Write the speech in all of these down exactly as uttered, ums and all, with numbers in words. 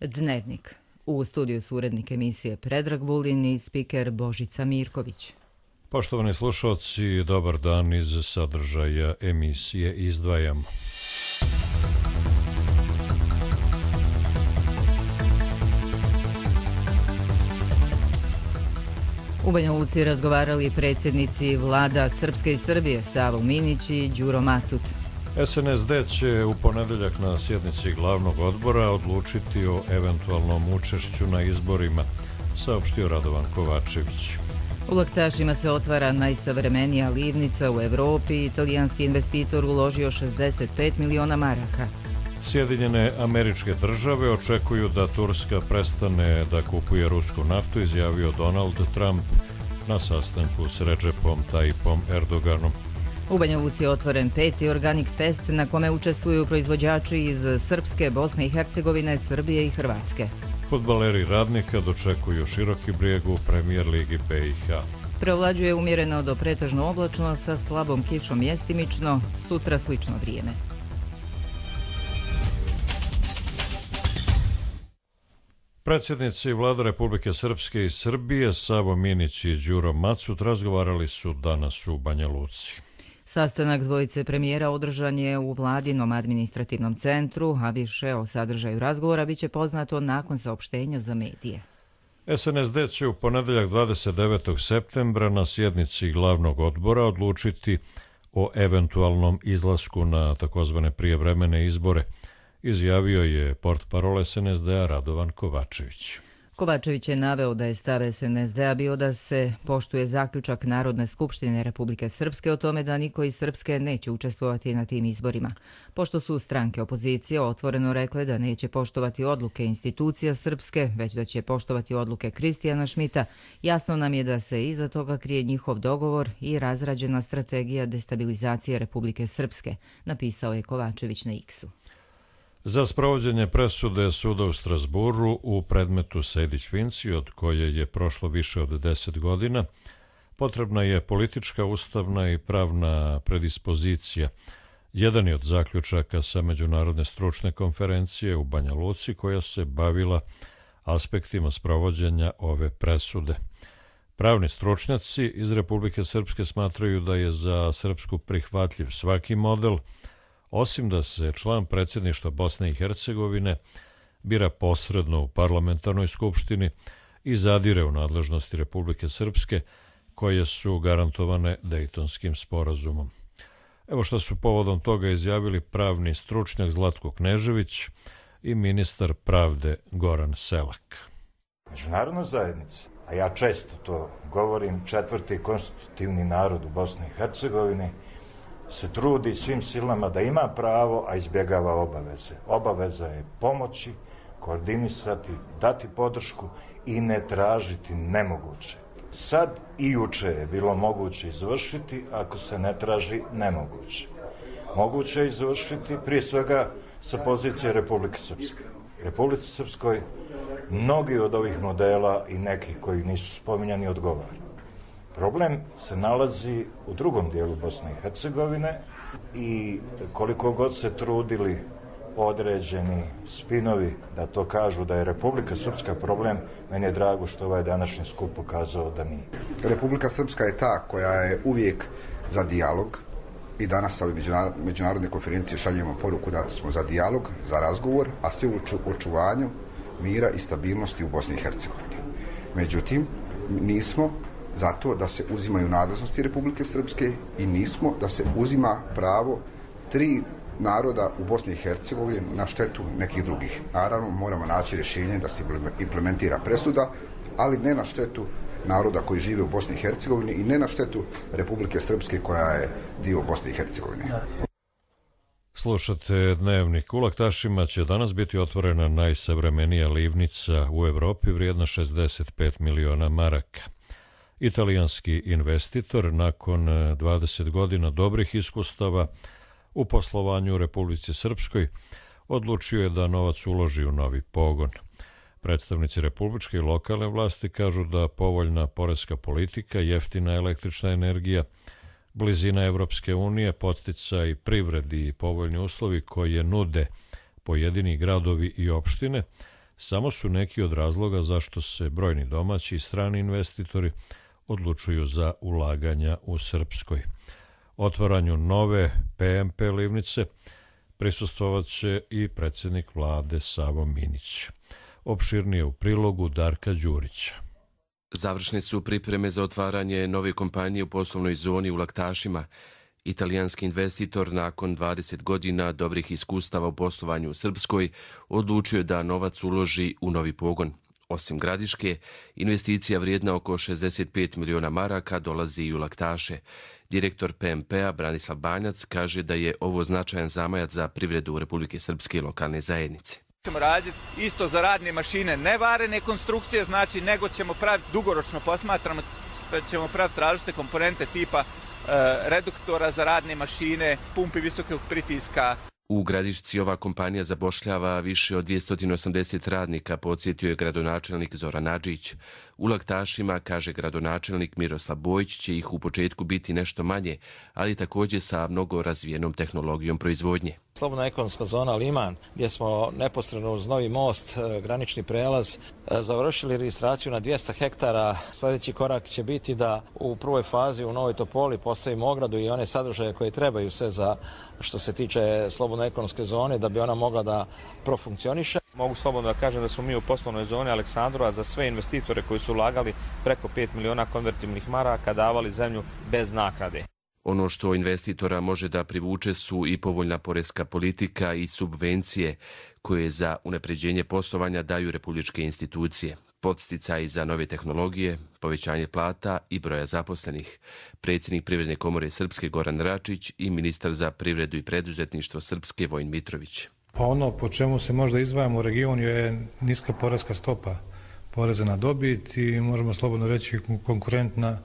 Dnevnik. U studiju su urednik emisije Predrag Vulin i spiker Božica Mirković. Poštovani slušalci, dobar dan. Iz sadržaja emisije izdvajamo. U Banja Luci razgovarali predsjednici vlada Srpske i Srbije Savo Minić i Đuro Macut. S N S D će u ponedeljak na sjednici glavnog odbora odlučiti o eventualnom učešću na izborima, saopštio Radovan Kovačević. U Laktašima se otvara najsavremenija livnica u Evropi. Italijanski investitor uložio šezdeset pet miliona maraka. Sjedinjene Američke Države očekuju da Turska prestane da kupuje rusku naftu, izjavio Donald Trump na sastanku s Redžepom Tayyipom Erdoganom. U Banja Luci je otvoren peti Organic Fest na kome učestvuju proizvođači iz Srpske, Bosne i Hercegovine, Srbije i Hrvatske. Fudbaleri Radnika dočekuju Široki Brijeg u Premijer ligi B i H. Preovlađuje umjereno do pretežno oblačno sa slabom kišom mjestimično, sutra slično vrijeme. Predsjednici vlada Republike Srpske i Srbije Savo Minić i Đuro Macut razgovarali su danas u Banja Luci. Sastanak dvojice premijera održan je u vladinom administrativnom centru, a više o sadržaju razgovora biće poznato nakon saopštenja za medije. S N S D će u ponedeljak dvadeset devetog septembra na sjednici glavnog odbora odlučiti o eventualnom izlasku na takozvane prijevremene izbore, izjavio je portparol S N S D-a Radovan Kovačević. Kovačević je naveo da je stav S N S D-a bio da se poštuje zaključak Narodne skupštine Republike Srpske o tome da niko iz Srpske neće učestvovati na tim izborima. Pošto su stranke opozicije otvoreno rekle da neće poštovati odluke institucija Srpske, već da će poštovati odluke Kristijana Šmita, jasno nam je da se iza toga krije njihov dogovor i razrađena strategija destabilizacije Republike Srpske, napisao je Kovačević na X-u. Za sprovođenje presude suda u Strasburu u predmetu Sejdić-Finci, od koje je prošlo više od deset godina, potrebna je politička, ustavna i pravna predispozicija. Jedan je od zaključaka sa Međunarodne stručne konferencije u Banja Luci koja se bavila aspektima sprovođenja ove presude. Pravni stručnjaci iz Republike Srpske smatraju da je za Srpsku prihvatljiv svaki model, osim da se član predsjedništva Bosne i Hercegovine bira posredno u parlamentarnoj skupštini i zadire u nadležnosti Republike Srpske, koje su garantovane Dejtonskim sporazumom. Evo što su povodom toga izjavili pravni stručnjak Zlatko Knežević i ministar pravde Goran Selak. Međunarodna zajednica, a ja često to govorim, četvrti konstitutivni narod u Bosni i Hercegovini, se trudi svim silama da ima pravo, a izbjegava obaveze. Obaveza je pomoći, koordinisati, dati podršku i ne tražiti nemoguće. Sad i juče je bilo moguće izvršiti, ako se ne traži nemoguće. Moguće je izvršiti prije svega sa pozicije Republike Srpske. Republici Srpskoj mnogi od ovih modela i nekih koji nisu spominjani odgovara. Problem se nalazi u drugom dijelu Bosne i Hercegovine i koliko god se trudili određeni spinovi da to kažu da je Republika Srpska problem, meni je drago što ovaj današnji skup pokazao da nije. Republika Srpska je ta koja je uvijek za dijalog i danas sa ove međunarodne konferencije šaljemo poruku da smo za dijalog, za razgovor, a sve u očuvanju mira i stabilnosti u Bosni i Hercegovini. Međutim, nismo zato da se uzimaju nadležnosti Republike Srpske i nismo da se uzima pravo tri naroda u Bosni i Hercegovini na štetu nekih drugih. Naravno, moramo naći rješenje da se implementira presuda, ali ne na štetu naroda koji žive u Bosni i Hercegovini i ne na štetu Republike Srpske koja je dio Bosne i Hercegovine. Slušate Dnevnik. U Laktašima će danas biti otvorena najsavremenija livnica u Evropi vrijedna šezdeset pet miliona maraka. Italijanski investitor nakon dvadeset godina dobrih iskustava u poslovanju u Republici Srpskoj odlučio je da novac uloži u novi pogon. Predstavnici republičke i lokalne vlasti kažu da povoljna poreska politika, jeftina električna energija, blizina Evropske unije, podsticaj privredi i povoljni uslovi koje nude pojedini gradovi i opštine samo su neki od razloga zašto se brojni domaći i strani investitori odlučuju za ulaganja u Srpskoj. Otvaranju nove P M P livnice prisustvovat će i predsjednik vlade Savo Minić. Opširnije u prilogu Darka Đurića. Završne su pripreme za otvaranje nove kompanije u poslovnoj zoni u Laktašima. Italijanski investitor nakon dvadeset godina dobrih iskustava u poslovanju u Srpskoj odlučio da novac uloži u novi pogon. Osim Gradiške, investicija vrijedna oko šezdeset pet miliona maraka dolazi i u Laktaše. Direktor P M P-a Branislav Banjac kaže da je ovo značajan zamajac za privredu Republike Srpske i lokalne zajednice. Ćemo raditi isto za radne mašine, ne varene konstrukcije, znači nego ćemo praviti dugoročno posmatramo, ćemo praviti različite komponente tipa e, reduktora za radne mašine, pumpi visokog pritiska. U Gradišci ova kompanija zapošljava više od dvjesto osamdeset radnika, podsjetio je gradonačelnik Zoran Adžić. U Laktašima, kaže gradonačelnik Miroslav Bojić, će ih u početku biti nešto manje, ali također sa mnogo razvijenom tehnologijom proizvodnje. Slobodna ekonomska zona Liman, gdje smo neposredno uz novi most, granični prelaz, završili registraciju na dvjesto hektara. Sljedeći korak će biti da u prvoj fazi u Novoj Topoli postavimo ogradu i one sadržaje koje trebaju sve za što se tiče slobodne ekonomske zone da bi ona mogla da profunkcioniše. Mogu slobodno da kažem da smo mi u poslovnoj zoni Aleksandrova za sve investitore koji su ulagali preko pet miliona konvertibilnih maraka davali zemlju bez naknade. Ono što investitora može da privuče su i povoljna poreska politika i subvencije koje za unapređenje poslovanja daju republičke institucije, podsticaji za nove tehnologije, povećanje plata i broja zaposlenih. Predsjednik Privredne komore Srpske Goran Račić i ministar za privredu i preduzetništvo Srpske Vojin Mitrović. Pa ono po čemu se možda izdvajamo u regionu je niska poreska stopa poreza na dobit i možemo slobodno reći konkurentna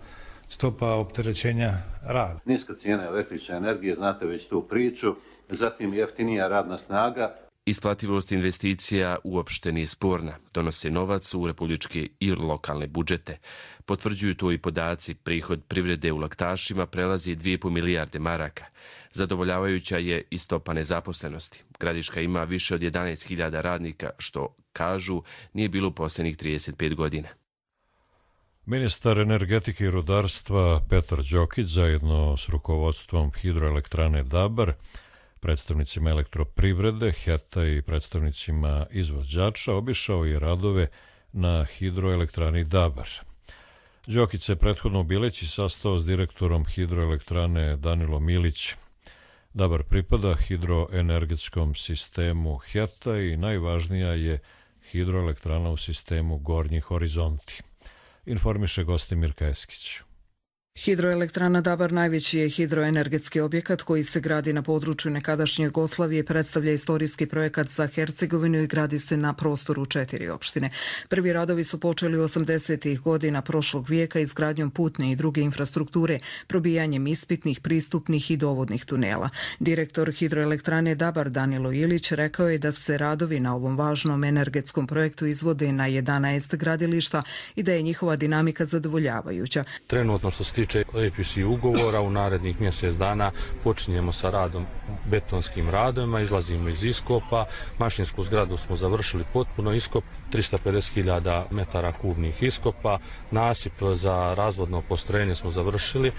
stopa opterećenja rada. Niska cijena električne energije, znate već tu priču, zatim jeftinija radna snaga. Isplativost investicija uopšte nije sporna. Donose novac u republičke i lokalne budžete. Potvrđuju to i podaci. Prihod privrede u Laktašima prelazi dvije i po milijarde maraka. Zadovoljavajuća je i stopa nezaposlenosti. Gradiška ima više od jedanaest hiljada radnika, što, kažu, nije bilo u posljednjih trideset pet godina. Ministar energetike i rudarstva Petar Đokić zajedno s rukovodstvom hidroelektrane Dabar, predstavnicima elektroprivrede, HET-a i predstavnicima izvođača obišao je radove na hidroelektrani Dabar. Đokić se prethodno u Bileći sastao s direktorom hidroelektrane Danilo Milić. Dabar pripada hidroenergetskom sistemu HET-a i najvažnija je hidroelektrana u sistemu Gornji Horizonti. Informiše Gostimir Kajeskić. Hidroelektrana Dabar najveći je hidroenergetski objekat koji se gradi na području nekadašnje Jugoslavije, predstavlja istorijski projekat za Hercegovinu i gradi se na prostoru četiri opštine. Prvi radovi su počeli u osamdesetih godina prošlog vijeka izgradnjom putne i druge infrastrukture, probijanjem ispitnih, pristupnih i dovodnih tunela. Direktor hidroelektrane Dabar Danilo Ilić rekao je da se radovi na ovom važnom energetskom projektu izvode na jedanaest gradilišta i da je njihova dinamika zadovoljavajuća. Trenutno što se tiče A P C ugovora, u narednih mjesec dana počinjemo sa radom, betonskim radovima, izlazimo iz iskopa, mašinsku zgradu smo završili potpuno iskop, tristo pedeset hiljada metara kubnih iskopa, nasip za razvodno postrojenje smo završili.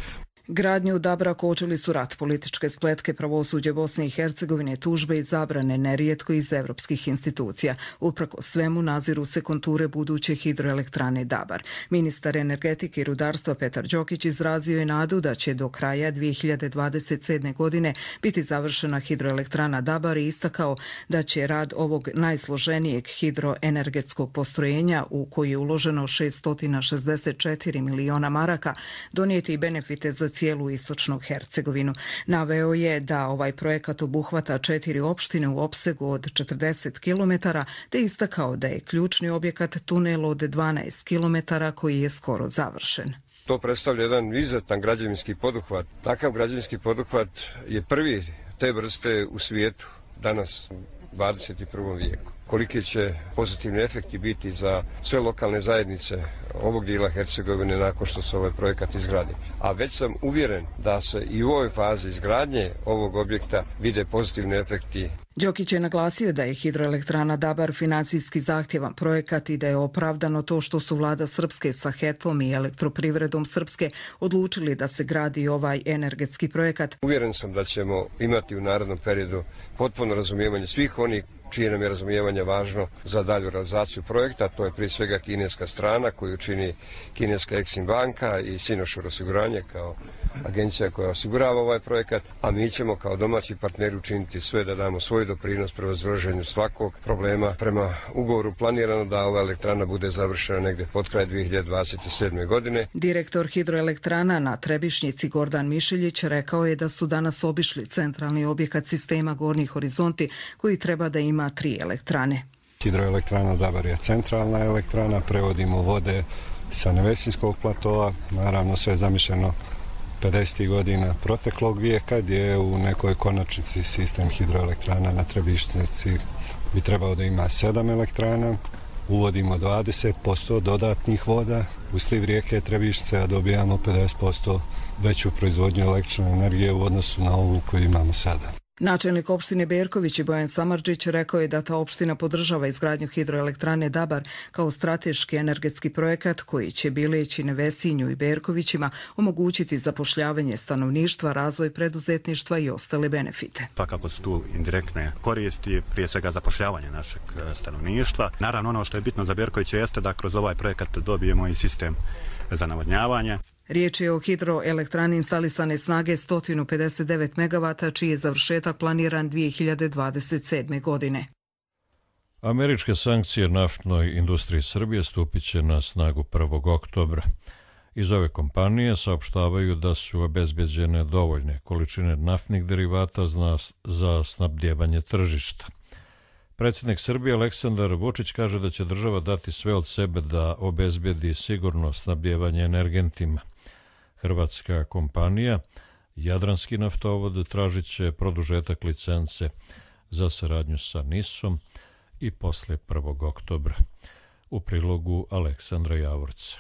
Gradnju Dabra kočili su rat, političke spletke, pravosuđe Bosne i Hercegovine, tužbe i zabrane nerijetko iz evropskih institucija. Uprkos svemu naziru se konture buduće hidroelektrane Dabar. Ministar energetike i rudarstva Petar Đokić izrazio je nadu da će do kraja dvije hiljade dvadeset sedme. godine biti završena hidroelektrana Dabar i istakao da će rad ovog najsloženijeg hidroenergetskog postrojenja u koji je uloženo šessto šezdeset četiri miliona maraka donijeti benefite za cijelu istočnu Hercegovinu. Naveo je da ovaj projekat obuhvata četiri opštine u opsegu od četrdeset kilometara, te istakao da je ključni objekat tunel od dvanaest kilometara koji je skoro završen. To predstavlja jedan izuzetan građevinski poduhvat. Takav građevinski poduhvat je prvi te vrste u svijetu danas u dvadeset prvom vijeku. koliki će pozitivni efekti biti za sve lokalne zajednice ovog dijela Hercegovine nakon što se ovaj projekat izgradi. A već sam uvjeren da se i u ovoj fazi izgradnje ovog objekta vide pozitivni efekti. Đokić je naglasio da je hidroelektrana Dabar financijski zahtjevan projekat i da je opravdano to što su vlada Srpske sa H E T-om i Elektroprivredom Srpske odlučili da se gradi ovaj energetski projekat. Uvjeren sam da ćemo imati u narednom periodu potpuno razumijevanje svih onih čije nam je razumijevanje važno za dalju realizaciju projekta. To je prije svega kineska strana koju čini kineska Exim banka i Sinošur osiguranje kao agencija koja osigurava ovaj projekat, a mi ćemo kao domaći partneri učiniti sve da damo svoj doprinos prevazilaženju svakog problema. Prema ugovoru planirano da ova elektrana bude završena negdje pod kraj dvije hiljade dvadeset sedme. godine. Direktor hidroelektrana na Trebišnjici Gordan Mišeljić rekao je da su danas obišli centralni objekat sistema Gornji horizonti koji treba da ima tri elektrane. Hidroelektrana Dabar je centralna elektrana, prevodimo vode sa Nevesinskog platoa, naravno sve je zamišljeno pedesetih godina proteklog vijeka, gdje je u nekoj konačnici sistem hidroelektrana na Trebišnjici bi trebao da ima sedam elektrana. Uvodimo dvadeset posto dodatnih voda u sliv rijeke Trebišnjice, a dobijamo pedeset posto veću proizvodnju električne energije u odnosu na ovu koju imamo sada. Načelnik opštine Berković Bojan Samardžić rekao je da ta opština podržava izgradnju hidroelektrane Dabar kao strateški energetski projekat koji će Bileći, Nevesinju i Berkovićima omogućiti zapošljavanje stanovništva, razvoj preduzetništva i ostale benefite. Svakako su tu indirektne koristi, prije svega zapošljavanje našeg stanovništva. Naravno, ono što je bitno za Berković jeste da kroz ovaj projekat dobijemo i sistem za navodnjavanje. Riječ je o hidroelektrani instalisane snage sto pedeset devet megavata, čiji je završetak planiran dvije hiljade dvadeset sedme. godine. Američke sankcije naftnoj industriji Srbije stupit će na snagu prvog oktobra. Iz ove kompanije saopštavaju da su obezbeđene dovoljne količine naftnih derivata za snabdjevanje tržišta. Predsjednik Srbije Aleksandar Vučić kaže da će država dati sve od sebe da obezbedi sigurno snabdjevanje energentima. Hrvatska kompanija Jadranski naftovod tražit će produžetak licence za saradnju sa NIS-om i posle prvog oktobra. U prilogu Aleksandra Javorca.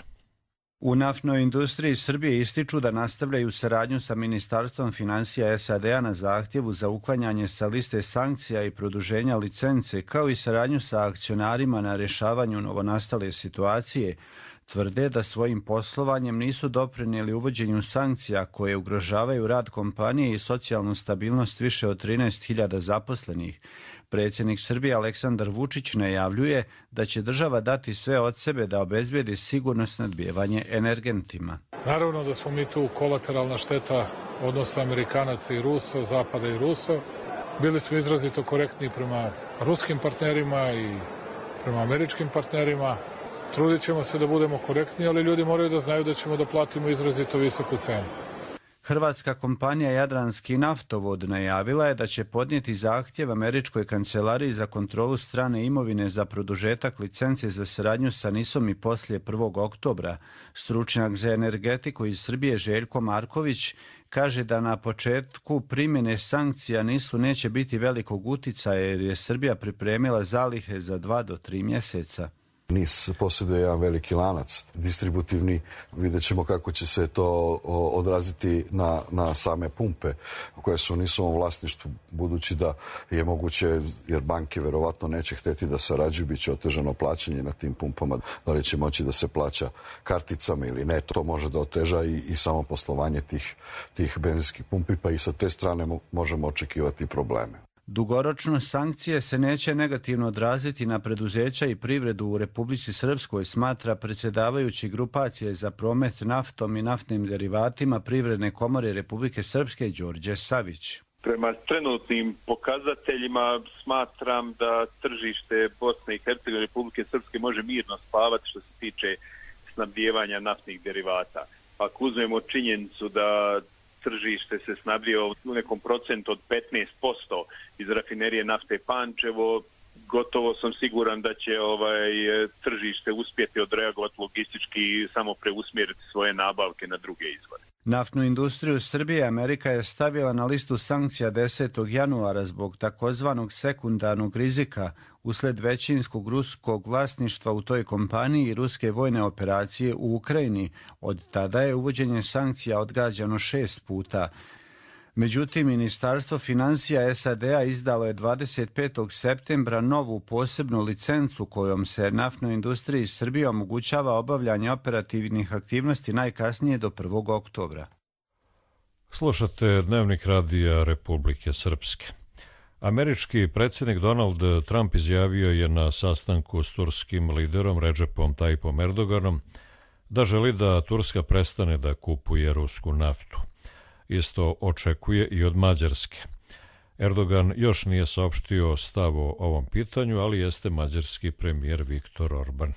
U naftnoj industriji Srbije ističu da nastavljaju saradnju sa Ministarstvom financija S A D-a na zahtjevu za uklanjanje sa liste sankcija i produženja licence, kao i saradnju sa akcionarima na rješavanju novonastale situacije. Tvrde da svojim poslovanjem nisu doprinijeli uvođenju sankcija koje ugrožavaju rad kompanije i socijalnu stabilnost više od trinaest hiljada zaposlenih. Predsjednik Srbije Aleksandar Vučić najavljuje da će država dati sve od sebe da obezbedi sigurno snabdijevanje energentima. Naravno da smo mi tu kolateralna šteta odnosa Amerikanaca i Rusa, Zapada i Rusa. Bili smo izrazito korektni prema ruskim partnerima i prema američkim partnerima. Trudit ćemo se da budemo korektni, ali ljudi moraju da znaju da ćemo da platimo izrazito visoku cenu. Hrvatska kompanija Jadranski naftovod najavila je da će podnijeti zahtjev Američkoj kancelariji za kontrolu strane imovine za produžetak licence za saradnju sa NIS-om i poslije prvog oktobra. Stručnjak za energetiku iz Srbije Željko Marković kaže da na početku primjene sankcija NIS-u neće biti velikog uticaja jer je Srbija pripremila zalihe za dva do tri mjeseca. NIS posjeduje jedan veliki lanac distributivni, vidjet ćemo kako će se to odraziti na, na same pumpe koje su u NIS-ovom vlasništvu, budući da je moguće, jer banke verovatno neće hteti da sarađuju, bit će otežano plaćanje na tim pumpama, da li će moći da se plaća karticama ili ne, to može da oteža i, i samo poslovanje tih, tih benzinskih pumpi, pa i sa te strane možemo očekivati probleme. Dugoročno sankcije se neće negativno odraziti na preduzeća i privredu u Republici Srpskoj, smatra predsjedavajući grupacije za promet naftom i naftnim derivatima Privredne komore Republike Srpske Đorđe Savić. Prema trenutnim pokazateljima smatram da tržište Bosne i Hercegovine Republike Srpske može mirno spavati što se tiče snabdijevanja naftnih derivata. Ako uzmemo činjenicu da tržište se snabdijeva u nekom procentu od petnaest posto iz rafinerije nafte Pančevo, gotovo sam siguran da će ovaj tržište uspjeti odreagovati logistički i samo preusmjeriti svoje nabavke na druge izvore. Naftnu industriju Srbije Amerika je stavila na listu sankcija desetog januara zbog takozvanog sekundarnog rizika usled većinskog ruskog vlasništva u toj kompaniji i ruske vojne operacije u Ukrajini. Od tada je uvođenje sankcija odgađano šest puta. Međutim, Ministarstvo financija S A D-a izdalo je dvadeset petog septembra novu posebnu licencu kojom se naftnoj industriji Srbije omogućava obavljanje operativnih aktivnosti najkasnije do prvog oktobra. Slušate Dnevnik radija Republike Srpske. Američki predsjednik Donald Trump izjavio je na sastanku s turskim liderom Redžepom Tayyipom Erdoganom da želi da Turska prestane da kupuje rusku naftu. Isto očekuje i od Mađarske. Erdogan još nije saopštio stav o ovom pitanju, ali jeste mađarski premijer Viktor Orban.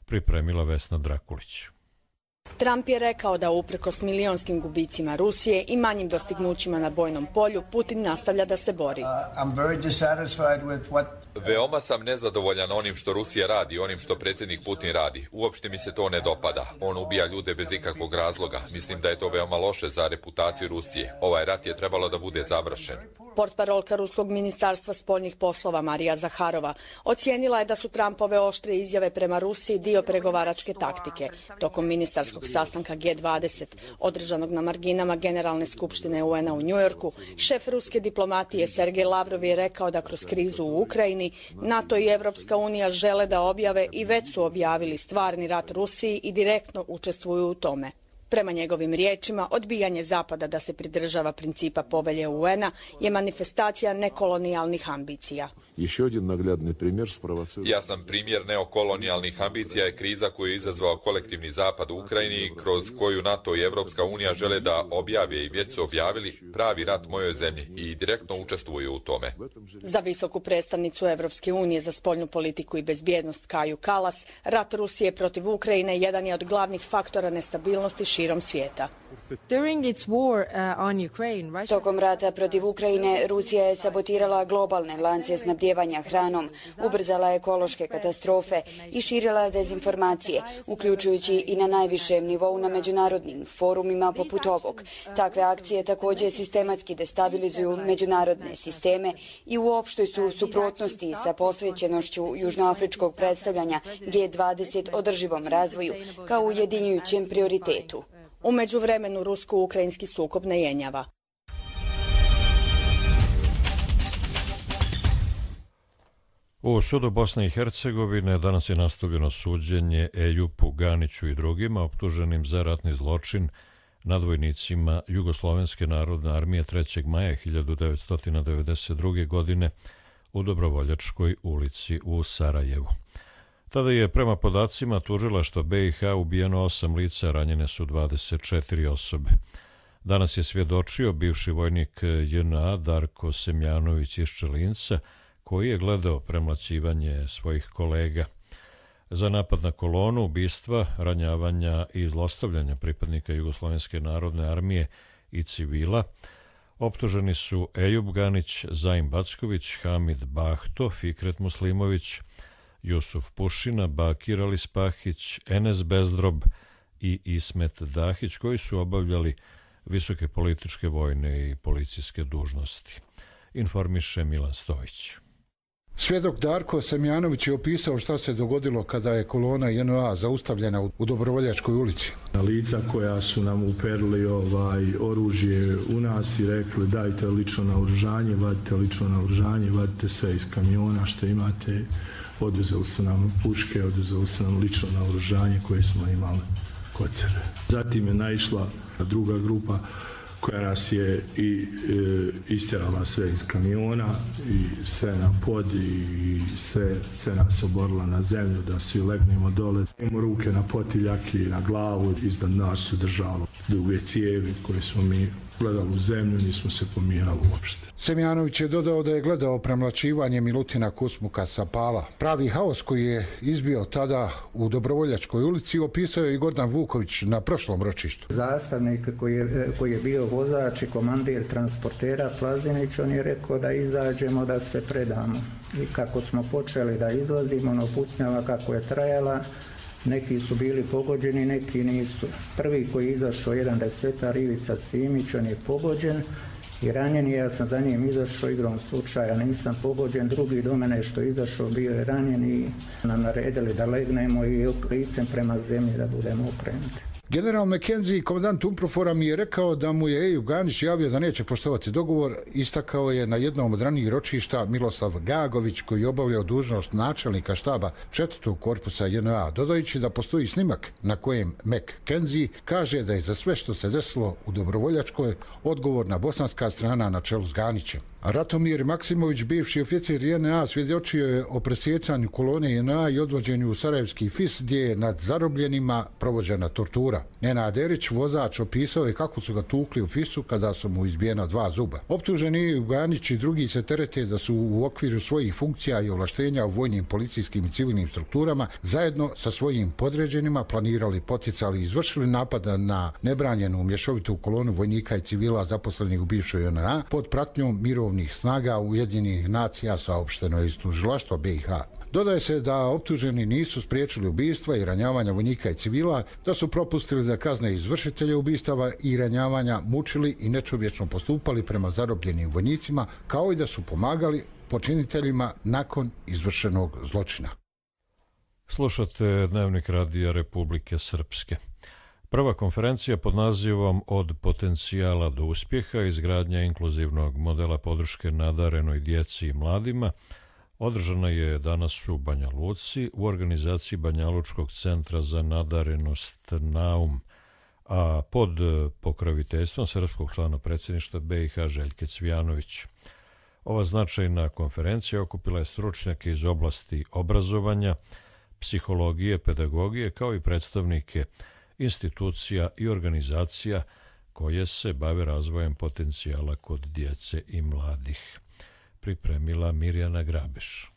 Pripremila Vesna Drakulić. Trump je rekao da uprkos milionskim gubicima Rusije i manjim dostignućima na bojnom polju, Putin nastavlja da se bori. Veoma sam nezadovoljan onim što Rusija radi, onim što predsjednik Putin radi. Uopšte mi se to ne dopada. On ubija ljude bez ikakvog razloga. Mislim da je to veoma loše za reputaciju Rusije. Ovaj rat je trebalo da bude završen. Portparolka Ruskog ministarstva spoljnih poslova Marija Zaharova ocijenila je da su Trumpove oštre izjave prema Rusiji dio pregovaračke taktike. Tokom ministarskog sastanka G dvadeset, održanog na marginama Generalne skupštine U N-a u Njujorku, šef ruske diplomatije Sergej Lavrov je rekao da kroz krizu u Ukrajini NATO i Evropska unija žele da objave i već su objavili stvarni rat Rusiji i direktno učestvuju u tome. Prema njegovim riječima, odbijanje Zapada da se pridržava principa povelje U N-a je manifestacija nekolonijalnih ambicija. Jasan primjer neokolonijalnih ambicija je kriza koju je izazvao kolektivni Zapad u Ukrajini, kroz koju NATO i Evropska unija žele da objave i već su objavili pravi rat mojoj zemlji i direktno učestvuju u tome. Za visoku predstavnicu Evropske unije za spoljnu politiku i bezbjednost Kaju Kalas, rat Rusije protiv Ukrajine jedan je od glavnih faktora nestabilnosti širom svijeta. Tokom rata protiv Ukrajine, Rusija je sabotirala globalne lance snabdijevanja hranom, ubrzala ekološke katastrofe i širila dezinformacije, uključujući i na najvišem nivou na međunarodnim forumima poput ovog. Takve akcije također sistematski destabilizuju međunarodne sisteme i u opštoj su suprotnosti sa posvećenošću južnoafričkog predstavljanja G dvadeset održivom razvoju kao ujedinjujućem prioritetu. U međuvremenu rusko-ukrajinski sukob ne jenjava. U sudu Bosne i Hercegovine danas je nastavljeno suđenje Ejupu Ganiću i drugima optuženim za ratni zločin nad vojnicima Jugoslovenske narodne armije trećeg maja hiljadu devetsto devedeset druge. godine u Dobrovoljačkoj ulici u Sarajevu. Tada je prema podacima tužilaštva B i H ubijeno osam lica, ranjene su dvadeset četiri osobe. Danas je svjedočio bivši vojnik J N A Darko Semjanović iz Čelinca, koji je gledao premlaćivanje svojih kolega. Za napad na kolonu, ubistva, ranjavanja i zlostavljanja pripadnika Jugoslovenske narodne armije i civila optuženi su Ejub Ganić, Zaim Backović, Hamid Bahto, Fikret Muslimović, Jusuf Pušina, Bakir Alispahić, Enes Bezdrob i Ismet Dahić, koji su obavljali visoke političke, vojne i policijske dužnosti. Informiše Milan Stojić. Svjedok Darko Semjanović je opisao šta se dogodilo kada je kolona J N A zaustavljena u Dobrovoljačkoj ulici. Lica koja su nam uperili ovaj oružje u nas i rekli dajte lično naoružanje, vadite lično naoružanje, vadite se iz kamiona što imate. Oduzeli su nam puške, oduzeli su nam lično naoružanje koje smo imali kod sebe. Zatim je naišla druga grupa koja nas je i e, istjerala sve iz kamiona i sve na pod i sve, sve nas oborila na zemlju da svi legnemo dole. Imamo ruke na potiljak i na glavu, iznad nas su držalo duge cijevi koje smo mi gledali u zemlju, nismo se pomirali uopšte. Semjanović je dodao da je gledao premlaćivanje Milutina Kusmuka sa Pala. Pravi haos koji je izbio tada u Dobrovoljačkoj ulici opisao je i Gordan Vuković na prošlom ročištu. Zastavnik koji je, koji je bio vozač i komandir transportera Plazinić, on je rekao da izađemo, da se predamo. I kako smo počeli da izlazimo, ono pucnjava kako je trajala, neki su bili pogođeni, neki nisu. Prvi koji je izašao, jedan desetar, Ivica Simić, on je pogođen i ranjen je, ja sam za njim izašao igrom slučaja, nisam pogođen, drugi do mene što je izašao bio je ranjen i nam naredili da legnemo i licem prema zemlji da budemo okrenuti. General McKenzie, komandant UNPROFOR-a, mi je rekao da mu je Eju Ganić javio da neće poštovati dogovor. Istakao je na jednom od ranijih ročišta Miloslav Gagović, koji je obavljao dužnost načelnika štaba četvrtog korpusa J N A, dodajući da postoji snimak na kojem McKenzie kaže da je za sve što se desilo u Dobrovoljačkoj odgovorna bosanska strana na čelu s Ganićem. Ratomir Maksimović, bivši oficir J N A, svjedočio je o presjecanju kolone J N A i odvođenju u Sarajevski F I S, gdje je nad zarobljenima provođena tortura. Nenad Erić, vozač, opisao je kako su ga tukli u F I S-u kada su mu izbijena dva zuba. Optuženi Ganić i drugi se terete da su u okviru svojih funkcija i ovlaštenja u vojnim, policijskim i civilnim strukturama zajedno sa svojim podređenima planirali, poticali i izvršili napada na nebranjenu mješovitu kolonu vojnika i civila zaposlenih u bivšoj J N A pod pratnjom mirovnih snaga Ujedinjenih nacija, saopšteno je iz tužilaštva B i H. Dodaje se da optuženi nisu spriječili ubistva i ranjavanja vojnika i civila, da su propustili da kazne izvršitelje ubistava i ranjavanja, mučili i nečovječno postupali prema zarobljenim vojnicima, kao i da su pomagali počiniteljima nakon izvršenog zločina. Slušate Dnevnik radija Republike Srpske. Prva konferencija pod nazivom Od potencijala do uspjeha, izgradnja inkluzivnog modela podrške nadarenoj djeci i mladima, održana je danas u Banja Luci u organizaciji Banjalučkog centra za nadarenost Naum, a pod pokroviteljstvom srpskog člana predsjedništva B i H Željke Cvijanović. Ova značajna konferencija okupila je stručnjake iz oblasti obrazovanja, psihologije, pedagogije, kao i predstavnike institucija i organizacija koje se bave razvojem potencijala kod djece i mladih. Pripremila Mirjana Grabeš.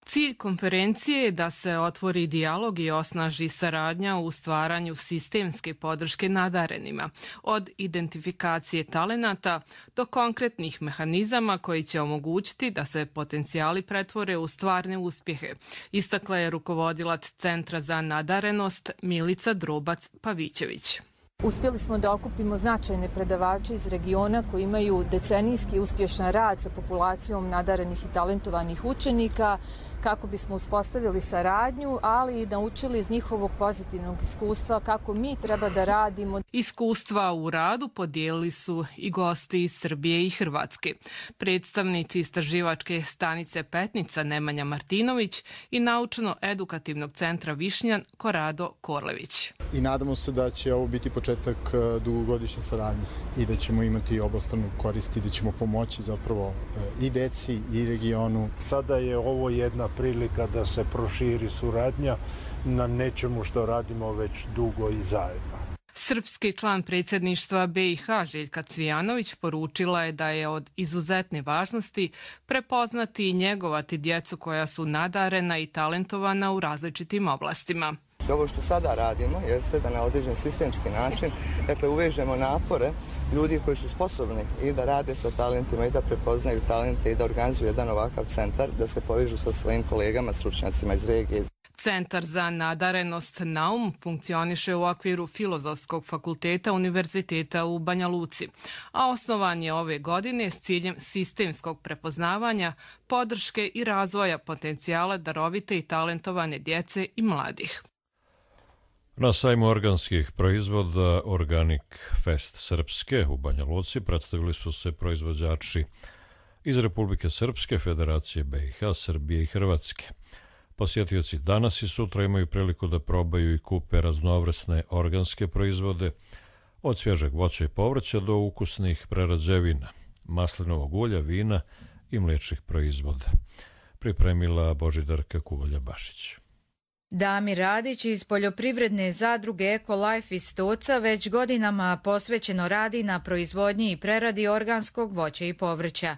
Cilj konferencije je da se otvori dijalog i osnaži saradnja u stvaranju sistemske podrške nadarenima, od identifikacije talenata do konkretnih mehanizama koji će omogućiti da se potencijali pretvore u stvarne uspjehe, istakla je rukovodilac Centra za nadarenost Milica Drobac-Pavićević. Uspjeli smo da okupimo značajne predavače iz regiona koji imaju decenijski uspješan rad sa populacijom nadarenih i talentovanih učenika, kako bismo uspostavili saradnju, ali i naučili iz njihovog pozitivnog iskustva kako mi treba da radimo. Iskustva u radu podijelili su i gosti iz Srbije i Hrvatske. Predstavnici istraživačke stanice Petnica Nemanja Martinović i naučno-edukativnog centra Višnjan Korado Korlević. I nadamo se da će ovo biti početak dugogodišnje saradnje i da ćemo imati obostranu korist i da ćemo pomoći zapravo i deci i regionu. Sada je ovo jedna prilika da se proširi suradnja na nečemu što radimo već dugo i zajedno. Srpski član predsjedništva B i H Željka Cvijanović poručila je da je od izuzetne važnosti prepoznati i njegovati djecu koja su nadarena i talentovana u različitim oblastima. Ovo što sada radimo jeste da na određen sistemski način, dakle, uvežemo napore ljudi koji su sposobni i da rade sa talentima i da prepoznaju talente i da organizuju jedan ovakav centar, da se povežu sa svojim kolegama, stručnjacima iz regije. Centar za nadarenost Naum funkcioniše u okviru Filozofskog fakulteta Univerziteta u Banja Luci, a osnovan je ove godine s ciljem sistemskog prepoznavanja, podrške i razvoja potencijala darovite i talentovane djece i mladih. Na sajmu organskih proizvoda Organic Fest Srpske u Banja Luci predstavili su se proizvođači iz Republike Srpske, Federacije B i H, Srbije i Hrvatske. Posjetioci danas i sutra imaju priliku da probaju i kupe raznovrsne organske proizvode, od svježeg voća i povrća do ukusnih prerađevina, maslinovog ulja, vina i mliječnih proizvoda. Pripremila Božidarka Kuvalja Bašić. Damir Radić iz poljoprivredne zadruge Ecolife iz Stoca već godinama posvećeno radi na proizvodnji i preradi organskog voća i povrća.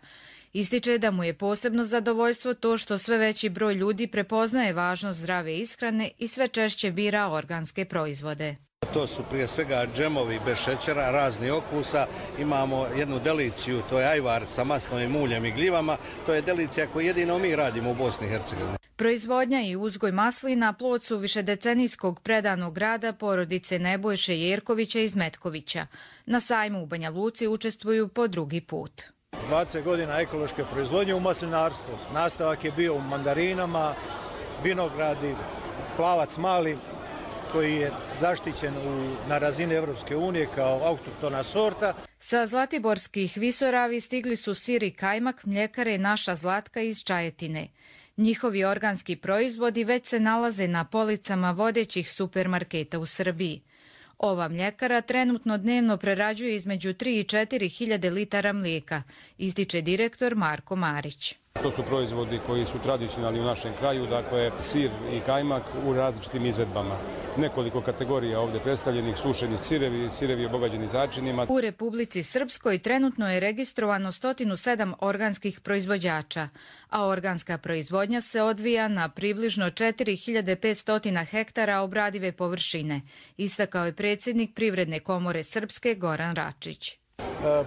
Ističe da mu je posebno zadovoljstvo to što sve veći broj ljudi prepoznaje važnost zdrave ishrane i sve češće bira organske proizvode. To su prije svega džemovi bez šećera, razni okusa. Imamo jednu deliciju, to je ajvar sa maslovim uljem i gljivama. To je delicija koju jedino mi radimo u Bosni i Hercegovini. Proizvodnja i uzgoj maslina plod su višedecenijskog predanog rada porodice Nebojše Jerkovića iz Metkovića. Na sajmu u Banja Luci učestvuju po drugi put. dvadeset godina ekološke proizvodnje u maslinarstvu. Nastavak je bio u mandarinama, vinogradi, plavac mali, koji je zaštićen u, na razini Evropske unije kao autohtona sorta. Sa zlatiborskih visoravi stigli su sir i kajmak mljekare Naša Zlatka iz Čajetine. Njihovi organski proizvodi već se nalaze na policama vodećih supermarketa u Srbiji. Ova mljekara trenutno dnevno prerađuje između tri i četiri hiljade litara mlijeka, ističe direktor Marko Marić. To su proizvodi koji su tradicionalni u našem kraju, dakle sir i kajmak u različitim izvedbama. Nekoliko kategorija ovdje predstavljenih, sušeni sirevi, sirevi obogađeni začinima. U Republici Srpskoj trenutno je registrovano sto sedam organskih proizvođača, a organska proizvodnja se odvija na približno četiri hiljade petsto hektara obradive površine, istakao je predsjednik Privredne komore Srpske Goran Račić.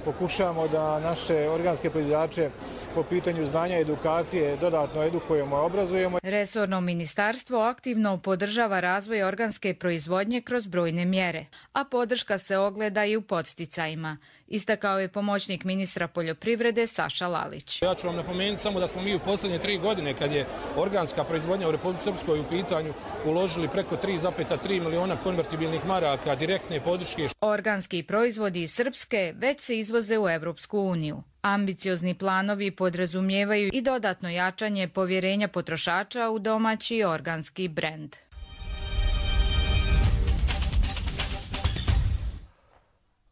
Pokušavamo da naše organske proizvođače po pitanju znanja i edukacije dodatno edukujemo i obrazujemo. Resorno ministarstvo aktivno podržava razvoj organske proizvodnje kroz brojne mjere, a podrška se ogleda i u podsticajima, istakao je pomoćnik ministra poljoprivrede Saša Lalić. Ja ću vam napomenuti samo da smo mi u posljednje tri godine, kad je organska proizvodnja u Republici Srpskoj u pitanju, uložili preko tri zarez tri miliona konvertibilnih maraka direktne podrške. Organski proizvodi iz Srpske već se izvoze u Evropsku uniju. Ambiciozni planovi podrazumijevaju i dodatno jačanje povjerenja potrošača u domaći organski brend.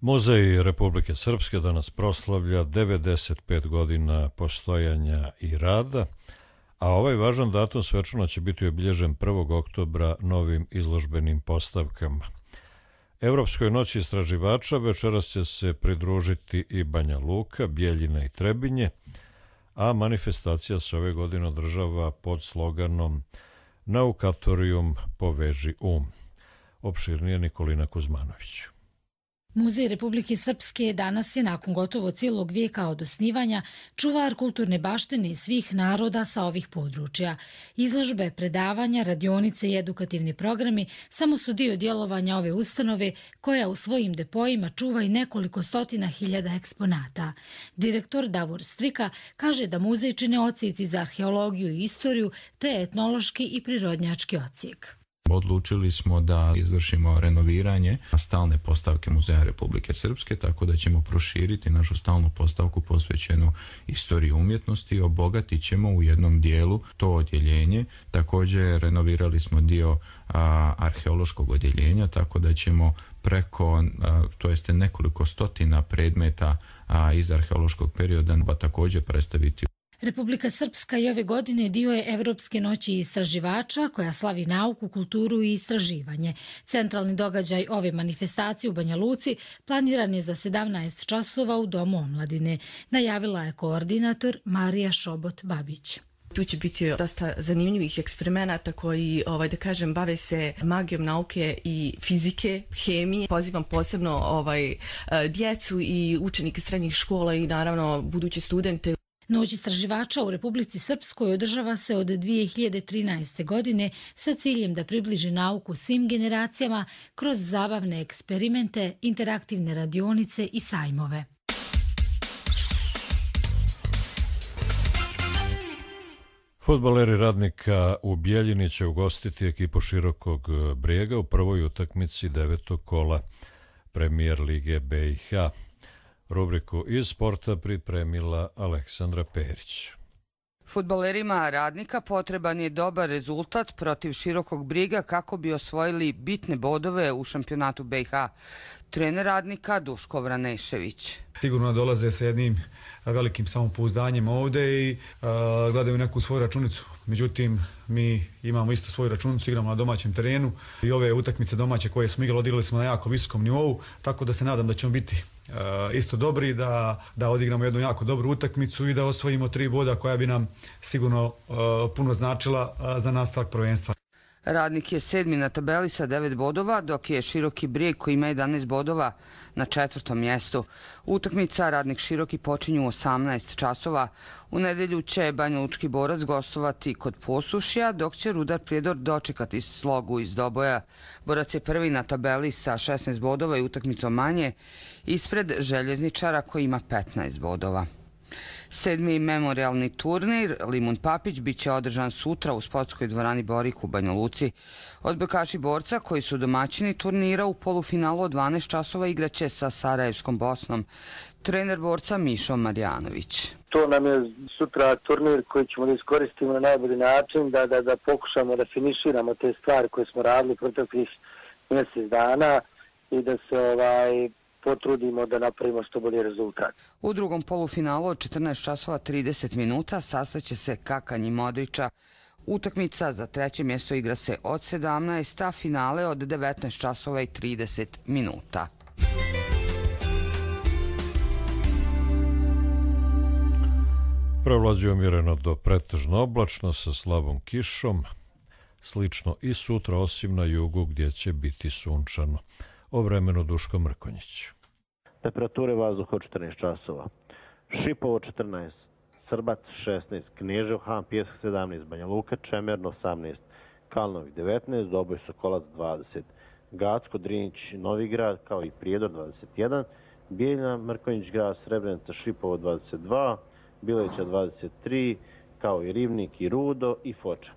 Muzej Republike Srpske danas proslavlja devedeset pet godina postojanja i rada, a ovaj važan datum svečano će biti obilježen prvog oktobra novim izložbenim postavkama. Evropskoj noći istraživača večeras će se pridružiti i Banja Luka, Bjeljina i Trebinje, a manifestacija se ove godine održava pod sloganom Naukatorium poveži um. Opširnije Nikolina Kuzmanović. Muzej Republike Srpske danas je nakon gotovo cijelog vijeka od osnivanja čuvar kulturne baštine svih naroda sa ovih područja. Izložbe, predavanja, radionice i edukativni programi samo su dio djelovanja ove ustanove koja u svojim depojima čuva i nekoliko stotina hiljada eksponata. Direktor Davor Strika kaže da muzej čine odsjeci za arheologiju i istoriju te etnološki i prirodnjački odsjek. Odlučili smo da izvršimo renoviranje stalne postavke Muzeja Republike Srpske, tako da ćemo proširiti našu stalnu postavku posvećenu istoriji umjetnosti i obogatit ćemo u jednom dijelu to odjeljenje. Također renovirali smo dio a, arheološkog odjeljenja, tako da ćemo preko, a, to jeste nekoliko stotina predmeta a, iz arheološkog perioda pa također predstaviti. Republika Srpska i ove godine dio je Evropske noći istraživača koja slavi nauku, kulturu i istraživanje. Centralni događaj ove manifestacije u Banja Luci planiran je za sedamnaest časova u Domu omladine, najavila je koordinator Marija Šobot-Babić. Tu će biti dosta zanimljivih eksperimenata koji, ovaj, da kažem, bave se magijom nauke i fizike, hemije. Pozivam posebno ovaj, djecu i učenike srednjih škola i naravno buduće studente. Noć istraživača u Republici Srpskoj održava se od dvije hiljade trinaeste. godine sa ciljem da približi nauku svim generacijama kroz zabavne eksperimente, interaktivne radionice i sajmove. Fudbaleri Radnika u Bjeljini će ugostiti ekipu Širokog Brijega u prvoj utakmici devetog kola Premijer Lige B i H. Rubriku iz sporta pripremila Aleksandra Perić. Fudbalerima Radnika potreban je dobar rezultat protiv Širokog Briga kako bi osvojili bitne bodove u šampionatu B i H. Trener Radnika Duško Vranešević. Sigurno dolaze sa jednim velikim samopouzdanjem ovde i uh, gledaju neku svoju računicu. Međutim, mi imamo isto svoju računicu, igramo na domaćem terenu i ove utakmice domaće koje smo igrali, odigrali smo na jako visokom nivou, tako da se nadam da ćemo biti uh, isto dobri, da, da odigramo jednu jako dobru utakmicu i da osvojimo tri boda koja bi nam sigurno uh, puno značila uh, za nastavak prvenstva. Radnik je sedmi na tabeli sa devet bodova, dok je Široki Brijeg koji ima jedanaest bodova na četvrtom mjestu. Utakmica Radnik Široki počinju u osamnaest časova. U nedelju će Banja Lučki borac gostovati kod Posušja, dok će Rudar Prijedor dočekati Slogu iz Doboja. Borac je prvi na tabeli sa šesnaest bodova i utakmicom manje, ispred Željezničara koji ima petnaest bodova. Sedmi memorialni turnir Limun Papić biće održan sutra u sportskoj dvorani Borik u Banja Luci. Odbojkaši borca koji su domaćini turnira u polufinalu od dvanaest časova igraće sa Sarajevskom Bosnom. Trener borca Mišo Marjanović. To nam je sutra turnir koji ćemo da iskoristimo na najbolji način, da, da, da pokušamo da finiširamo te stvari koje smo radili proteklih mjesec dana i da se ovaj potrudimo da napravimo što bolji rezultat. U drugom polufinalu od četrnaest časova trideset minuta sastaće se Kakanj i Modrića. Utakmica za treće mjesto igra se od sedamnaest, a finale od devetnaest časova i trideset minuta. Prevlađuje umjereno do pretežno oblačno sa slabom kišom, slično i sutra osim na jugu gdje će biti sunčano. O vremenu Duško Mrkonjić. Temperature vazduha od četrnaest časova. Šipovo četrnaest, Srbac šesnaest, Knežev Han, Pjesak sedamnaest, Banja Luka, Čemerno osamnaest, Kalnovik devetnaest, Doboj Sokolac dvadeset, Gacko, Drinić, Novigrad, kao i Prijedor dvadeset jedan, Bijeljina, Mrkonjić grad, Srebrenica, Šipovo dvadeset dva, Bileća dvadeset tri, kao i Rivnik i Rudo i Foča.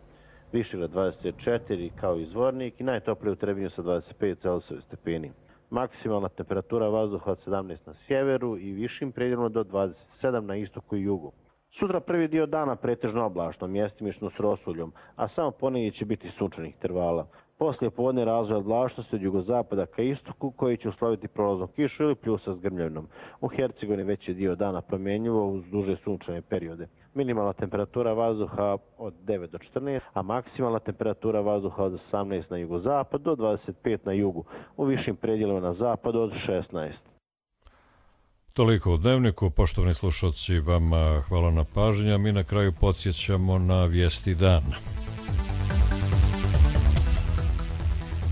Višegrad dvadeset četiri kao i Zvornik i najtoplije u Trebinju sa dvadeset pet Celzijusovih stepeni. Maksimalna temperatura vazduha od sedamnaest na sjeveru i višim predjelom do dvadeset sedam na istoku i jugu. Sutra prvi dio dana pretežno oblačno, mjestimično s rosuljom, a samo ponedjeljak će biti sunčanih intervala. Poslije podne razvoj oblačnosti od jugozapada ka istoku koji će usloviti prolaznom kišu ili pljusa s grmljavinom. U Hercegovini veći dio dana promjenjivo uz duže sunčane periode. Minimalna temperatura vazduha od devet do četrnaest, a maksimalna temperatura vazduha od osamnaest na jugozapad do dvadeset pet na jugu, u višim predjelima na zapadu od šesnaest. Toliko u Dnevniku, poštovani slušalci, vama hvala na pažnju. Mi na kraju podsjećamo na vijesti dana.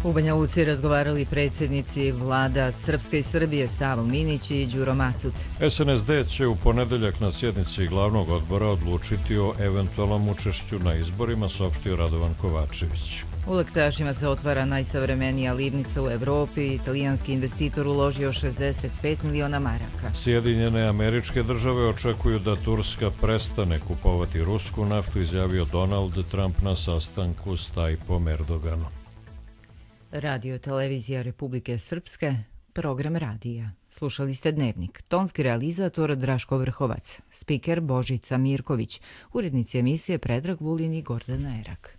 U Banja Luci razgovarali predsjednici vlada Srpske i Srbije Savo Minić i Đuro Macut. S N S D će u ponedeljak na sjednici glavnog odbora odlučiti o eventualnom učešću na izborima, saopštio Radovan Kovačević. U Lektašima se otvara najsavremenija livnica u Evropi. Italijanski investitor uložio šezdeset pet miliona maraka. Sjedinjene Američke Države očekuju da Turska prestane kupovati rusku naftu, izjavio Donald Trump na sastanku s Tajpom Erdoganom. Radio Televizija Republike Srpske, program radija. Slušali ste Dnevnik. Tonski realizator Draško Vrhovac, spiker Božica Mirković, urednici emisije Predrag Vulin i Gordana Erak.